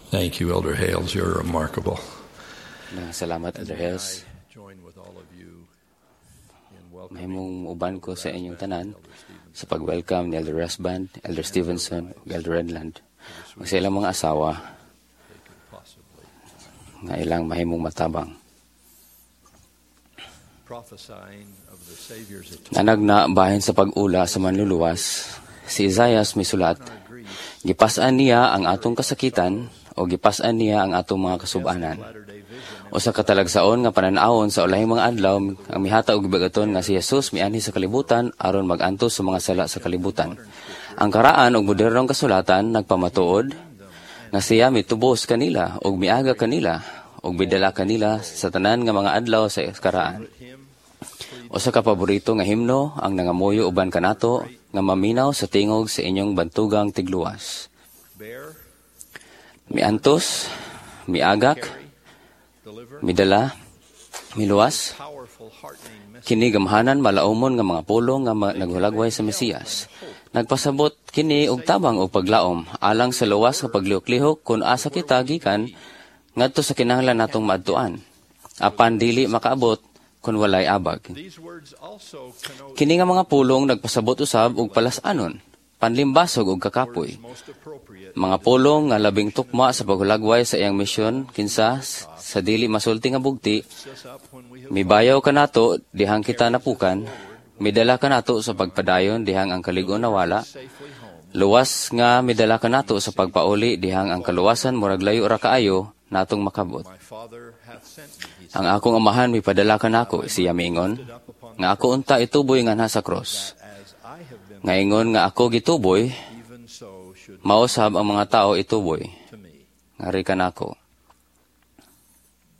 Thank you, Elder Hales. You're remarkable. Na salamat, Elder May Hales. I join with all of you in welcoming Mahimong uban ko sa inyong tanan sa pag-welcome ni Elder Rasband, Elder Stevenson, ug Elder Renlund ug sa ilang mga asawa they could possibly. Nga ilang mahimong matabang. Prophesying of the Savior's atonement Nanagna bahin sa pag-ula sa Manluluwas, si Isaias misulat, our grief, "Gipas-an niya ang atong kasakitan o gipas-an niya ang atong mga kasubanan." Latter-day vision Usa ka talagsaon nga panan-awon sa ulahing mga adlaw ang mihatag og gibag-aton nga si Jesus mianhi sa kalibutan aron mag-antos sa mga sala sa kalibutan. Ang karaan og modernong kasulatan nagpamatuod nga siya mitubos kanila ug miaga kanila ug midala kanila sa tanan nga mga adlaw sa karaan. Hymn Usa ka paborito nga himno ang nangamuyo uban kanato nga maminaw sa tingog sa inyong bantugang tigluwas. Bear, Miantos, miagak, carry, deliver, midala, miluwas, powerful, heartening message. Kini gamhanan malaumon nga mga pulong nga naghulagway sa Mesiyas. Nagpasabot kini og tabang og paglaom alang sa luwas nga paglihok-lihok kung asa kita gikan ngadto sa kinahanglan natong maadtuan. Apan dili makaabot kung walay abag. These words also connote Kini nga mga pulong nagpasabot usab og palas-anon, panlimbasog og kakapoy. Most appropriate Mga pulong nga labing tukma sa paghulagway sa iyang misyon kinsa sa dili masulti nga bugti lifts us up when we have mibayaw kanato dihang kita napukan, midala kanato sa pagpadayon dihang ang kalig-on nawala, safely home. Luwas nga midala kanato sa pagpauli dihang ang kaluwasan murag layo ra kaayo natong makabot. "My Father hath sent me," he said, "Ang akong Amahan mipadala kanako," siya miingon, "nga ako unta ituboy nganha sa cross." "As I have been, Nga ingon nga ako gituboy, even so should mao sab ang mga tao ituboy to me." ngari kanako.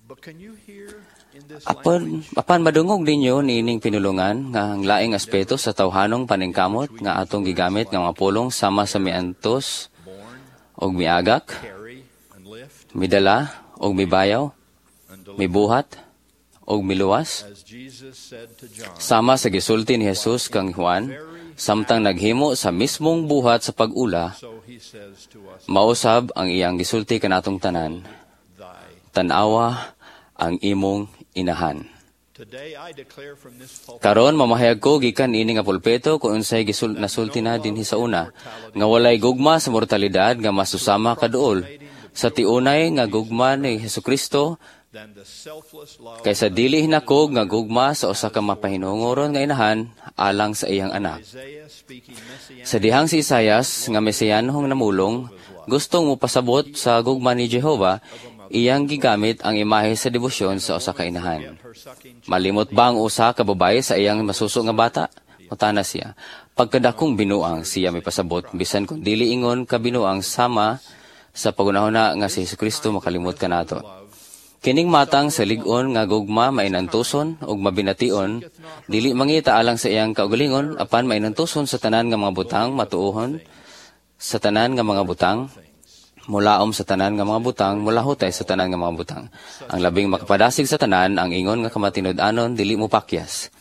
But can you hear in this Apan, language apan madungog ninyo niining pinulungan nga ang laing aspeto sa tawhanong paningkamot nga atong gigamit nga mga pulong sama sa miantos born, og miagak, carry, and lift, midala og mibayaw, and deliver? Mibuhat og miluwas? As Jesus said to John, Sama sa gisulti ni Jesus kang Juan, samtang naghimo sa mismong buhat sa pag-ula, so he says to us, mausab ang iyang gisulti kanatong tanan, "Thy." "Tan-awa ang imong inahan." Today I declare from this pulpit Karon mamahayag ko gikan ini nga pulpito kung unsay nasulti na dinhi sa una nga walay gugma sa mortalidad nga masusama kaduol sa tiunay nga gugma ni Hesukristo than the selfless love kaysa dili hinakog nga gugma sa usa ka mapahinungoron nga inahan alang sa iyang anak. Isaiah speaking messianic Sa dihang si Isayas nga mesiyanhong namulong gustong mopasabot sa gugma ni Jehova, iyang gigamit ang imahe sa debosyon sa usa ka inahan. Her sucking "Malimot ba ang usa ka babaye sa iyang masuso nga bata?" mutana siya. "Pagkadakong binuang," siya may pasabot, bisan kung dili ingon ka binuang sama sa pagunahon nga si Hesukristo makalimot kanato. Kining matang sa lig-on nga gugma mainantuson ug mabination, dili mangita alang sa iyang kaugalingon, apan mainantuson sa tanan nga mga butang, matuohon sa tanan nga mga butang, mulaom sa tanan nga mga butang, mulahutay sa tanan nga mga butang. Ang labing makapadasig sa tanan, ang ingon nga kamatinud-anon dili mo pakyas.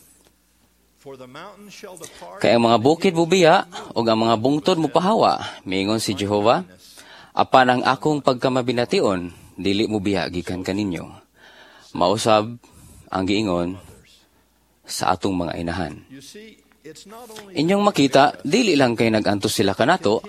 For the mountains shall depart "Kay ang mga bukid bubiya ug ang mga bungtod mopahawa," miingon si Jehova, "apan ang akong pagkamabination dili mo biya gikan kaninyo." Mausab ang giingon sa atong mga inahan. You see, it's not only Inyong makita, dili lang kay nag-antos sila kanato,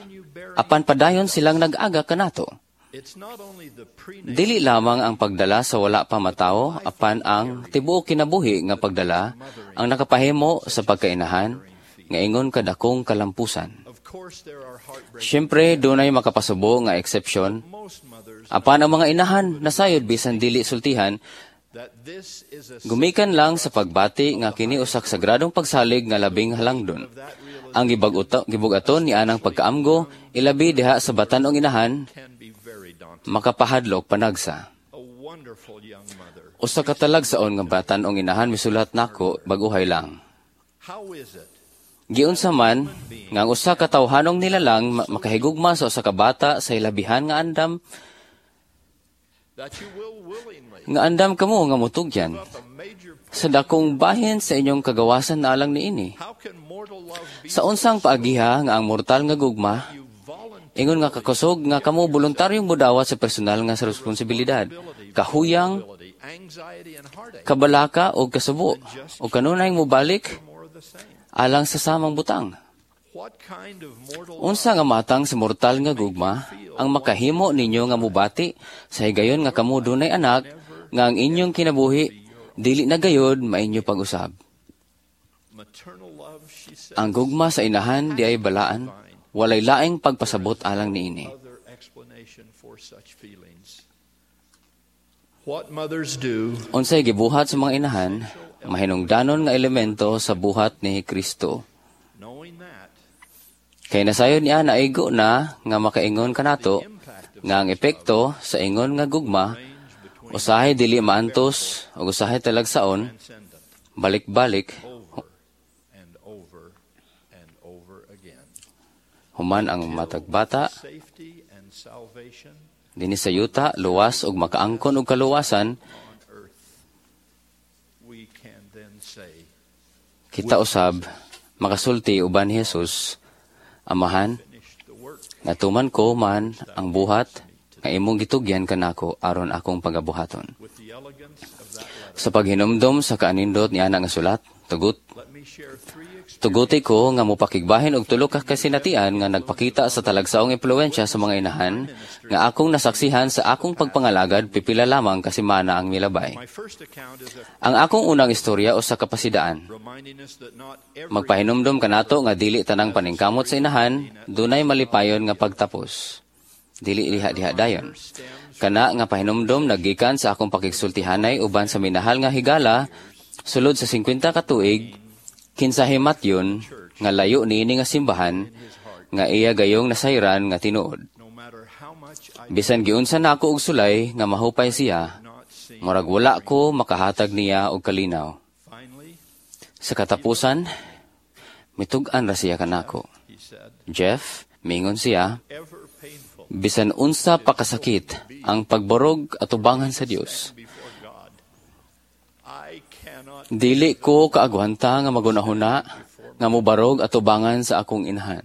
apan padayon silang nag-aga kanato. It's not only the prenatal Dili lamang ang pagdala sa wala pa matawo, apan ang tibuok kinabuhi nga pagdala ang nakapahimo sa pagkainahan nga ingon kadakong kalampusan. Of course there are heartbreaking Siyempre, dunay makapasubo nga eksepsyon, most mothers apan ang mga inahan nasayod bisan dili sultihan, that this is a gumikan lang sa pagbati nga kini usak sagradong pagsalig nga labing halangdon. That realization Ang gibug-aton ni anang pagkaamgo, ilabi diha sa batan-ong inahan, can be very daunting. Makapahadlok panagsa. A wonderful young mother. Usa ka talagsaon nga batan-ong inahan misulat nako bag-uhay lang. How is it "Giunsa man nga ang usa ka tawhanong nilalang makahigugma sa usa ka bata sa hilabihan nga andam that you will willingly nga andam kamo nga mutugyan up a major sa dakong bahin sa inyong kagawasan na alang niini? How can mortal love be Sa unsang paagiha nga ang mortal nga gugma you voluntarily Ingon nga kakusog nga kamo voluntaryong modawat sa personal nga sa responsibilidad. Kahuyang, anxiety and heartache. Kabalaka o kasubo o kanunay mobalik More of the same. Alang sa samang butang. What kind of mortal Unsa nga matang sa mortal nga gugma ang makahimo ninyo nga mubati sa higayon nga kamo dunay anak nga ang inyong kinabuhi dili na gayod mainyo pag-usab? Maternal love, she said, Ang gugma sa inahan di ay balaan, walay laing pagpasabot alang niini. Other explanation for such feelings. What mothers do Unsay gibuhat sa mga inahan, mahinungdanon nga elemento sa buhat ni Kristo. Knowing that Kay nasayod niya naigo na nga makaingon kanato nga ang epekto sa ingon nga gugma range between usahay dili maantos ug usahay talagsaon transcendent balik-balik over and over and over again. Human ang matag bata Safety and salvation dinhi sa yuta luwas ug makaangkon og kaluwasan on earth. We can then say, kita usab makasulti uban ni Jesus, "Amahan, finished the work natuman ko man ang buhat nga imong gitugyan kanako aron akong pagabuhaton." with the elegance of that letter. Sa paghinumdom sa kaanindot niana nga sulat, tugot Let me share three experiences tuguti ko nga mopakigbahin og tulo ka kasinatian nga nagpakita sa talagsaong impluwensya sa mga inahan nga akong nasaksihan sa akong pagpangalagad pipila lamang ka semana ang milabay. My first account is a Ang akong unang istorya usa ka pasidaan. Reminding us that not every Magpahinumdom kanato nga dili tanang paningkamot sa inahan dunay malipayon nga pagtapos. Dili diha diha dayon. Stems Kana nga pahinumdom naggikan sa akong pakigsultihanay uban sa minahal nga higala sulod sa 50 ka tuig, kinsa himatyon nga layo niini nga simbahan nga iya gayong nasayran nga tinuod. No matter how much I Bisan giunsa nako og sulay nga mahupay siya, not seem murag wala ko makahatag niya og kalinaw. Finally, Sa katapusan, mitug-an ra siya kanako. he said, "Jeff," mingon siya, ever painful "bisan unsa pa kasakit ang pagbarog atubangan sa Dios, before God. I cannot dili ko kaagwanta nga magunahuna nga mobarog atubangan sa akong inahan."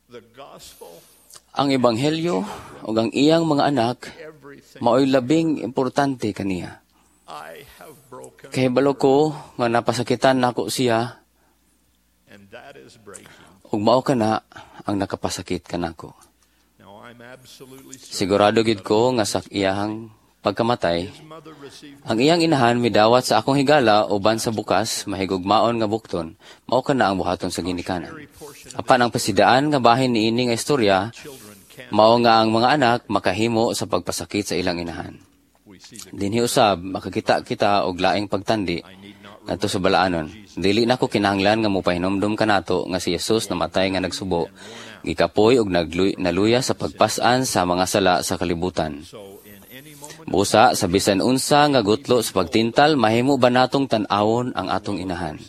The gospel, Ang ebanghelyo ug ang iyang mga anak everything maoy labing importante kaniya. I have broken, Kay balo ko nga napasakitan nako siya and that is breaking. Ug mao kana ang nakapasakit kanako. Now I'm absolutely certain Sigurado gid ko nga sa iyang pagkamatay, his mother received ang iyang inahan midawat sa akong higala uban sa bukas mahigugmaon nga bukton. Mao kana ang buhaton sa ginikanan. every portion of Apan ang pasidaan nga bahin niini nga istorya children can mao nga ang mga anak makahimo sa pagpasakit sa ilang inahan. We see the Dinhi usab makakita kita og laing pagtandi I need not ngadto sa balaanon. Dili nako kinahanglan nga mopahinomdom kanato nga si Jesus namatay nga nagsubo, gikapoy og naluya sa pagpas-an sa mga sala sa kalibutan. So in any moment Busa sa bisan unsa nga gutlo sa pagtintal, mahimo ba natong tan-awon ang atong inahan?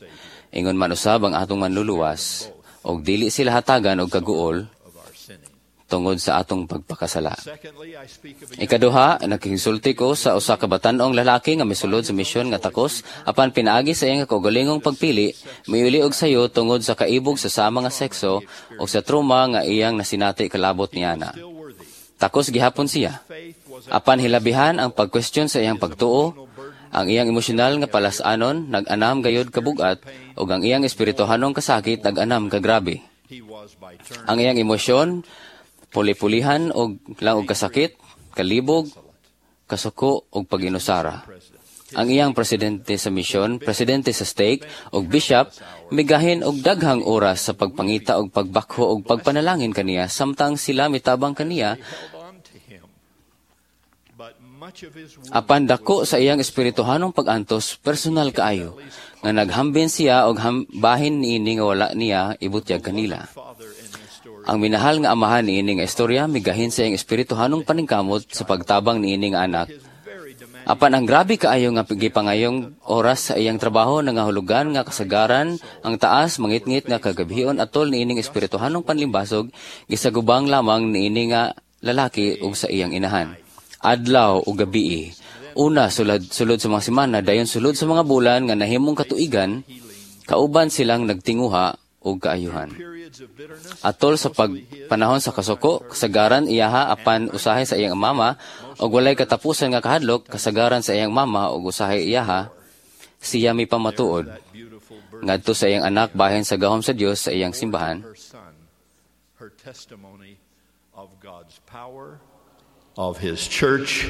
Ingon man usab ang atong Manluluwas, og dili sila hatagan og kaguol of our sinning. Tungod sa atong pagpakasala. Secondly, I speak of a Ikaduha, nakisulti ko sa usa ka batan-ong lalaki nga misulod sa misyon nga takos apan pinaagi sa iyang kaugalingong pagpili, miuli og sayo tungod sa kaibog sa sama nga sekso o sa trauma nga iyang nasinati kalabot niana. Still worthy. Takos gihapon siya. Faith was Apan hilabihan ang pag-question sa iyang pagtuo, ang iyang emosyonal nga palasanon nag-anam gayod kabugat ug ang iyang espirituhanong kasakit nag-anam kagrabe. He was by turn Ang iyang emosyon puli-pulihan og lang og kasakit, kalibog, kasuko ug paginusara. president. Ang iyang presidente sa misyon, presidente sa stake ug bishop migahin og daghang oras sa pagpangita og pagbakho og pagpanalangin kaniya samtang sila mitabang kaniya. They held on to him. But much of his wound Apan dako sa iyang espirituhanong pag-antos personal kaayo nga naghambin siya og bahin niini nga wala niya ibutyag kanila. Father in this story Ang minahal nga amahan niini nga istorya migahin sa iyang espirituhanong paningkamot sa pagtabang niini nga anak. His very demanding Apan ang grabe kaayo nga gipangayong oras sa iyang trabaho nangahulugan nga kasagaran ang taas mangitngit nga kagabhion atol niining espirituhanong panlimbasog gisagubang lamang niini nga lalaki ug sa iyang inahan. Adlaw ug gabii. Una sulod, sulod sa mga semana, dayon sulod sa mga bulan nga nahimong katuigan, kauban silang nagtinguha og kaayuhan. Period. Periods of bitterness, Atol sa mostly his, pagpanahon sa kasuko, kasagaran iyaha apan usahay sa iyang mama ug walay katapusan nga kahadlok, kasagaran sa iyang mama ug usahay iyaha, siya mipamatuod that beautiful bird, ngadto sa iyang anak bahin sa gahom sa Dios sa iyang simbahan. Her son, her testimony of God's power, of His church,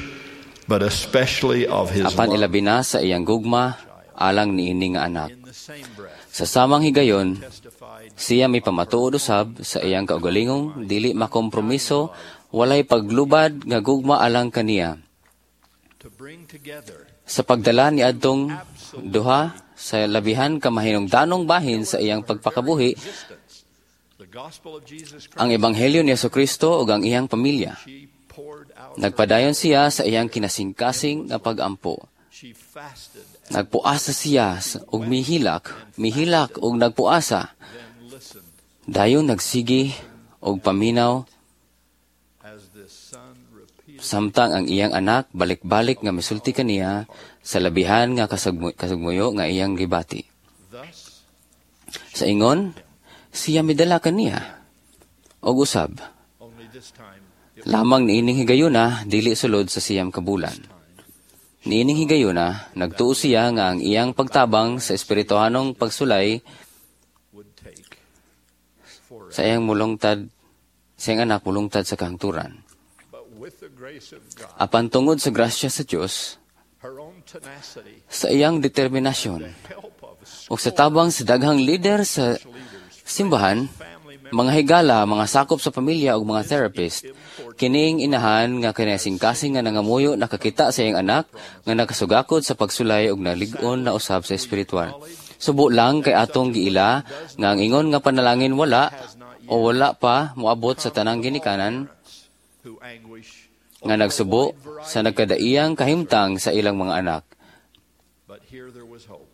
but especially of His Apan love. Ilabi na sa iyang gugma alang niini nga anak. In the same breath, Sa samang higayon, testified siya mipamatuod usab sa iyang kaugalingong dili makompromiso, walay paglubad nga gugma alang kaniya. To bring together Sa pagdala ni adtong duha sa labihan ka mahinungdanong bahin sa iyang pagpakabuhi, existence, the gospel of Jesus Christ, ang ebanghelyo ni Kristo ug ang iyang pamilya. She poured out Nagpadayon siya sa iyang kinasingkasing nga pag-ampo. She fasted and Nagpuasa siya ug mihilak, mihilak ug nagpuasa. Then listened Dayon nagsigi og paminaw as this son repeated samtang ang iyang anak balik-balik nga misulti kaniya sa labihan nga kasugmuyo nga iyang gibati. Thus, Sa ingon, siya midala kaniya og usab. only this time it Lamang niining higayuna, dili sulod sa 9 ka bulan. Niining higayuna, nagtuo siya nga ang iyang pagtabang sa espirituhanong pagsulay would take forever. Sa iyang anak mulungtad sa kahangturan. But with the grace of God, Apan tungod sa grasya sa Dios, her own tenacity, sa iyang determinasyon, help of ug sa tabang sa daghang leader sa simbahan, family members, mga higala, mga sakop sa pamilya ug mga therapist, kining inahan nga kinasingkasing nga nangamuyo nakakita sa iyang anak nga nakasugakod sa pagsulay ug nalig-on na usab sa espiritual. Subo lang kay atong giila nga ang ingon nga panalangin wala o wala pa moabot sa tanang ginikanan who anguish nga nagsubo sa nagkadaiyang kahimtang sa ilang mga anak. But here there was hope.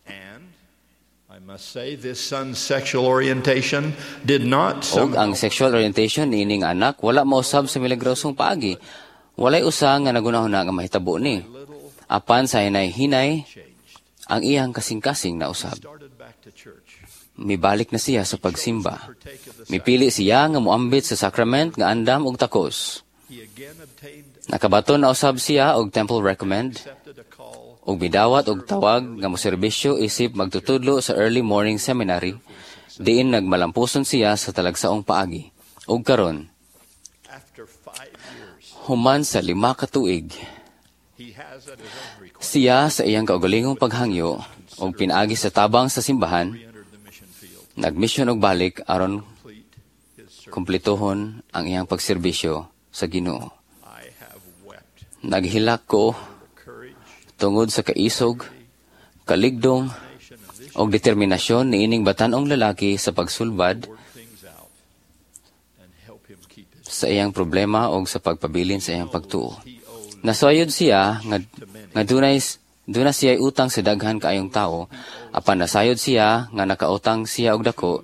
And I must say, this son's sexual orientation did not Og ang somehow sexual orientation niining anak wala mausab sa milagrosong paagi. Walay usa nga nagunahuna nga mahitabo ni. Little Apan sa hinay-hinay changed. Ang iyang kasing-kasing nausab. Started back to church. Mibalik na siya sa pagsimba. Partake of the Mipili siya nga moambit sa sacrament nga andam og takos. He again obtained Nakabaton na usab siya og temple recommend accepted a call ug midawat og tawag nga moserbisyo isip magtutudlo sa early morning seminary diin nagmalampuson siya sa talagsaong paagi. Ug karon, after 5 years. Human sa 5 ka tuig, He has at his own request siya sa iyang kaugalingong paghangyo og pinaagi sa tabang sa simbahan, re-entered the mission field, nagmisyon og balik aron complete his service. kumpletohon ang iyang pagserbisyo sa Ginoo. I have wept Naghilak ko the courage, tungod sa kaisog, kaligdong, nation of this og determinasyon niining batan-ong lalaki sa pagsulbad work things out and help him keep his sa iyang problema og sa pagpabilin sa iyang pagtuo. He owed Nasayod siya nga duna siya utang sa daghan kaayong tao, apan nasayod siya nga nakautang siya og dako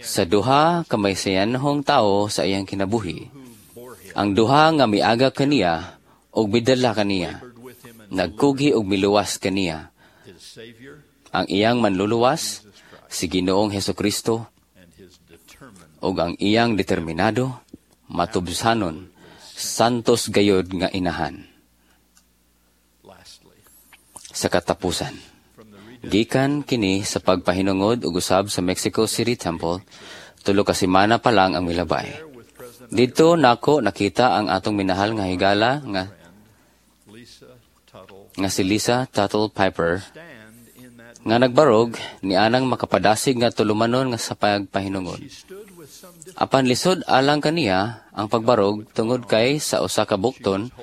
sa duha ka maysayanhong tao sa iyang kinabuhi. Who bore him, Ang duha nga miaga kaniya og midala kaniya, labored with him and nagkugi og miluwas kaniya. his Savior Ang iyang manluluwas, si Ginoong Hesukristo, and his determined ug ang iyang determinado, matubsanon, santos gayod nga inahan. Lastly, Sa katapusan, from the rededication gikan kini sa pagpahinungod ug usab sa Mexico City Temple, 3 ka semana pa lang ang milabay. With President Dito nako nakita ang atong minahal nga higala nga Lisa Tuttle nga si Lisa Tuttle Piper stand in that nga nagbarog ni anang makapadasig nga tulumanon nga sa pagpahinungod. She stood with some difficulty Apan lisod alang kaniya ang pagbarog tungod kay sa usa ka bukton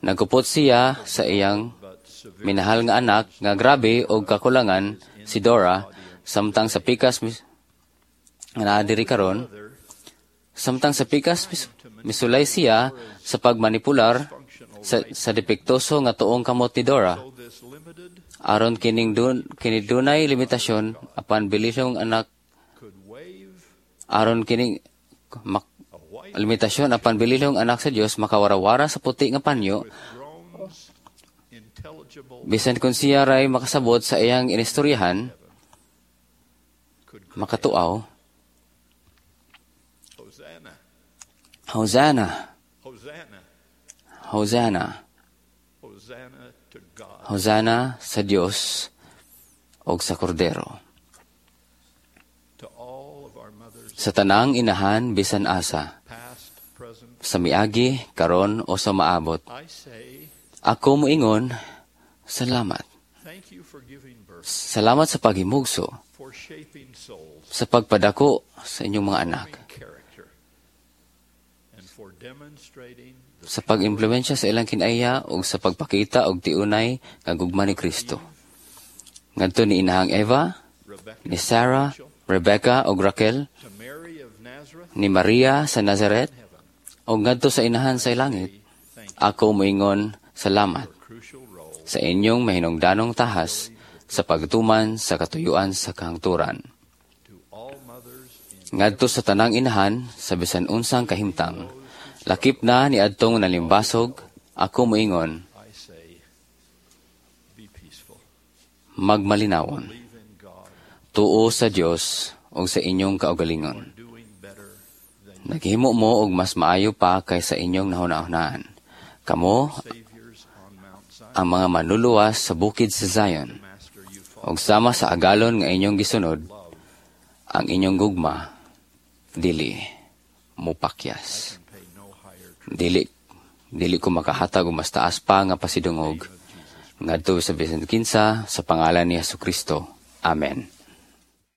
nagkupot siya sa iyang but severe minahal nga anak nga grabe og kakulangan, si Dora, samtang sa pikas nga naa diri karon. Samtang sa pikas misulay siya sa pagmanipular sa depektoso nga tuong kamot ni Dora So this limited aron kining kini dunay limitasyon apan bilisong anak could wave aron kining a white limitasyon apan bililong anak sa Dios makawarawara sa puti nga panyo with groans intelligible bisan kung siya ray makasabot sa iyang inistoryahan could makatuaw. Hosanna! Hosanna! Hosanna! Hosanna to God. Hosanna sa Dios og sa Kordero. To all of our mothers, Sa tanang inahan bisan asa, past, present, sa miagi, karon o sa maabot. I say, Ako moingon, salamat. Thank you for giving birth, Salamat sa paghimugso, for shaping souls, sa pagpadako sa inyong mga anak, forming character, and for demonstrating the sa pag-impluwensya sa ilang kinaiya ug sa pagpakita og tiunay nga gugma ni Kristo. Ngadto ni Inahang Eva, Rebecca, ni Sarah, Rebecca ug Raquel, to Mary of Nazareth, ni Maria sa Nazaret, heaven. ug ngadto sa inahan sa langit, Thank you ako moingon, salamat for crucial role sa inyong mahinungdanong tahas sa pagtuman sa katuyuan sa kahangturan. To all mothers in Ngadto sa tanang inahan sa bisan unsang kahimtang, lakip na ni adtong nalimbasog, ako moingon, I say, be peaceful. Magmalinawon. Believe in God. Tuo sa Dios ug sa inyong kaugalingon. Doing better than Naghimo mo og mas maayo pa kaysa inyong nahuna-hunaan. Kamo saviors on Mount Zion. Ang mga manluluwas sa bukid sa Zion. Master, you follow Ug sama sa agalon nga inyong gisunod, love. Ang inyong gugma dili mupakyas. Can pay no higher tribute Dili ko makahatag og mas taas pa nga pasidungog of Jesus. Ngadto sa bisan kinsa sa pangalan ni Jesu Kristo. Amen.